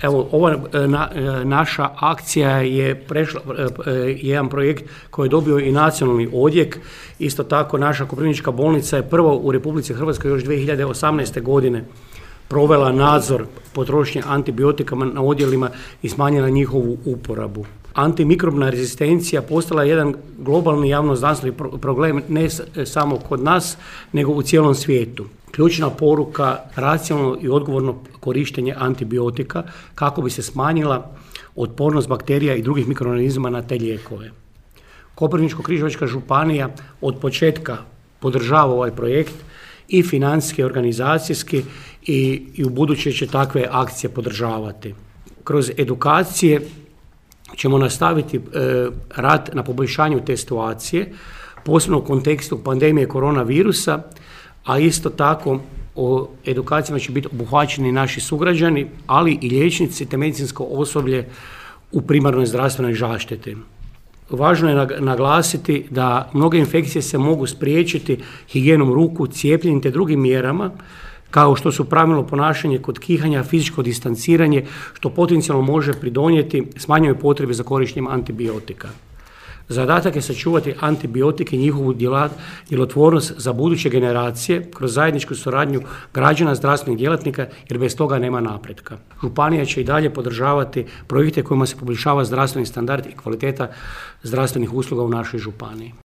Evo, ova naša akcija je prešla jedan projekt koji je dobio i nacionalni odjek. Isto tako naša Koprivnička bolnica je prva u Republici Hrvatskoj još 2018. godine provela nadzor potrošnje antibiotika na odjelima i smanjila njihovu uporabu. Antimikrobna rezistencija postala je jedan globalni javnozdravstveni problem ne samo kod nas, nego u cijelom svijetu. Ključna poruka, racionalno i odgovorno korištenje antibiotika kako bi se smanjila otpornost bakterija i drugih mikroorganizama na te lijekove. Koprivničko-križevačka županija od početka podržava ovaj projekt i financijski, i organizacijski i u buduće će takve akcije podržavati. Kroz edukacije ćemo nastaviti rad na poboljšanju te situacije, posebno u kontekstu pandemije koronavirusa, a isto tako o edukacijama će biti obuhvaćeni naši sugrađani, ali i liječnici te medicinsko osoblje u primarnoj zdravstvenoj zaštiti. Važno je naglasiti da mnoge infekcije se mogu spriječiti higijenom ruku, cijepljenjem te drugim mjerama, kao što su pravilno ponašanje kod kihanja, fizičko distanciranje, što potencijalno može pridonijeti smanjenoj potrebi za korištenjem antibiotika. Zadatak je sačuvati antibiotike i njihovu djelotvornost za buduće generacije kroz zajedničku suradnju građana, zdravstvenih djelatnika, jer bez toga nema napretka. Županija će i dalje podržavati projekte kojima se poboljšava zdravstveni standard i kvaliteta zdravstvenih usluga u našoj županiji.